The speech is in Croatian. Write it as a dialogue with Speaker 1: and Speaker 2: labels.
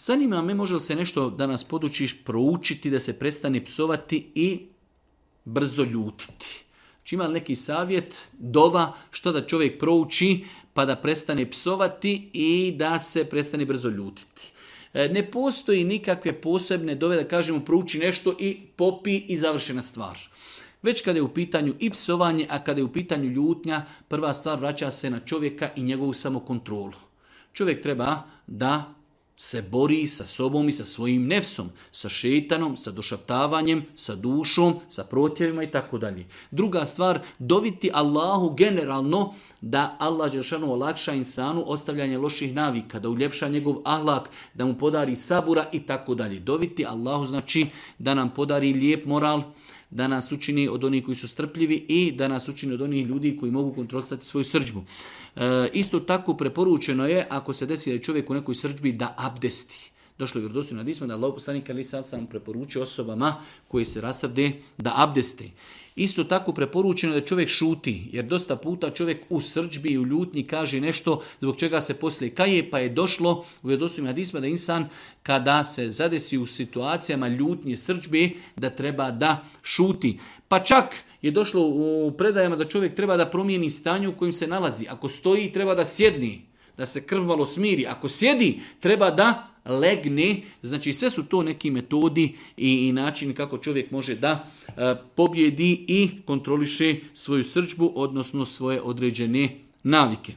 Speaker 1: Zanima me, može li se nešto da nas podučiš proučiti, da se prestane psovati i brzo ljutiti. Znači ima li neki savjet, dova, što da čovjek prouči pa da prestane psovati i da se prestane brzo ljutiti. Ne postoji nikakve posebne dove da kažemo prouči nešto i popi i završena stvar. Već kada je u pitanju i psovanje, a kada je u pitanju ljutnja, prva stvar vraća se na čovjeka i njegovu samokontrolu. Čovjek treba da se bori sa sobom i sa svojim nefsom, sa šejtanom, sa došaptavanjem, sa dušom, sa protjevima i tako dalje. Druga stvar, doviti Allahu generalno da Allah dželešanu olakša insanu ostavljanje loših navika, da uljepša njegov ahlak, da mu podari sabura i tako dalje. Doviti Allahu znači da nam podari lijep moral, da nas učini od onih koji su strpljivi i da nas učini od onih ljudi koji mogu kontrolisati svoju srdžbu. Isto tako preporučeno je, ako se desi da je čovjek u nekoj srdžbi, da abdesti. Došlo je vjerodostojno hadisma da Allahov poslanik alejhi salatu preporučio osobama koji se rasrde da abdeste. Isto tako preporučeno je da čovjek šuti, jer dosta puta čovjek u srdžbi i u ljutnji kaže nešto zbog čega se poslije kaje, pa je došlo u vjerodostojnim hadisma da insan kada se zadesi u situacijama ljutnje srdžbe da treba da šuti. Pa čak je došlo u predajama da čovjek treba da promijeni stanje u kojem se nalazi. Ako stoji treba da sjedni, da se krv malo smiri. Ako sjedi treba da legne, znači sve su to neki metodi i načini kako čovjek može da pobjedi i kontroliše svoju srdžbu, odnosno svoje određene navike.